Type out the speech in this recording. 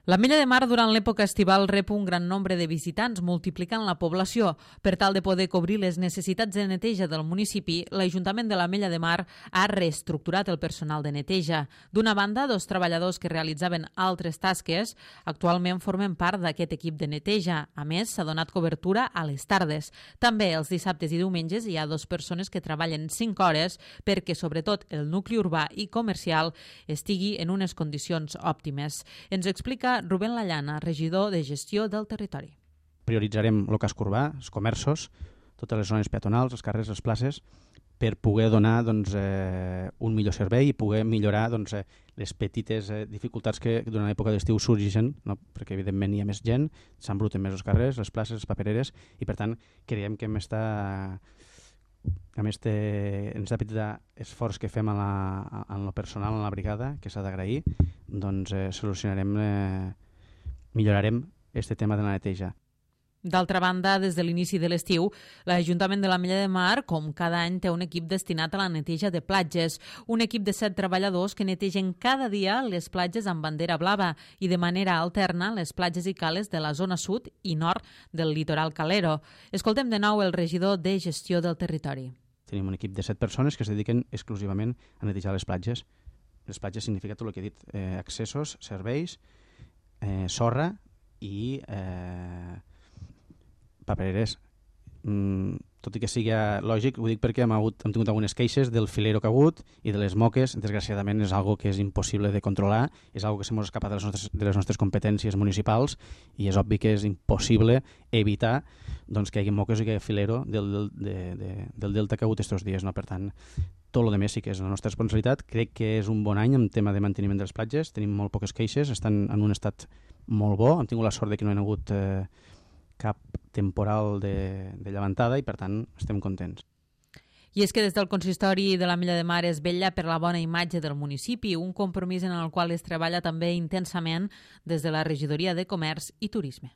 L'Ametlla de Mar durant l'època estival rep un gran nombre de visitants, multiplicant la població. Per tal de poder cobrir les necessitats de neteja del municipi, l'Ajuntament de l'Ametlla de Mar ha reestructurat el personal de neteja. D'una banda, 2 treballadors que realitzaven altres tasques actualment formen part d'aquest equip de neteja. A més, s'ha donat cobertura a les tardes. També els dissabtes i diumenges hi ha 2 persones que treballen 5 hores perquè, sobretot, el nucli urbà i comercial estigui en unes condicions òptimes. Ens explica Rubén Lallana, regidor de Gestió del Territori. Prioritzarem el casc urbà, els comerços, totes les zones peatonals, els carrers, les places, per poder donar un millor servei i poder millorar les petites dificultats que durant l'època d'estiu sorgeixen, no? Perquè evidentment hi ha més gent, s'embruten més els carrers, les places, les papereres, i per tant creiem que amb aquest petit esforç que fem en el personal, en la brigada, que s'ha d'agrair, solucionarem, millorarem aquest tema de la neteja. D'altra banda, des de l'inici de l'estiu, l'Ajuntament de l'Ametlla de Mar, com cada any, té un equip destinat a la neteja de platges. Un equip de 7 treballadors que netegen cada dia les platges amb bandera blava i de manera alterna les platges i cales de la zona sud i nord del litoral calero. Escoltem de nou el regidor de Gestió del Territori. Tenim un equip de 7 persones que es dediquen exclusivament a netejar les platges. Les platges significa tot el que he dit, accessos, serveis, sorra i papereres. Tot i que sigui lògic, ho dic perquè hem tingut algunes queixes del filero que ha hagut i de les moques. Desgraciadament és algo que és impossible de controlar, és algo que s'ha escapat de les nostres competències municipals i és obvi que és impossible evitar que hi hagi moques i que hi hagi filero del delta que ha hagut aquests dies. No? Per tant, tot el que sí que és la nostra responsabilitat. Crec que és un bon any en tema de manteniment de les platges, tenim molt poques queixes, estan en un estat molt bo, hem tingut la sort de que no hi ha hagut cap temporal de llevantada i per tant estem contents. I és que des del consistori de l'Ametlla de Mar es vetlla per la bona imatge del municipi, un compromís en el qual es treballa també intensament des de la Regidoria de Comerç i Turisme.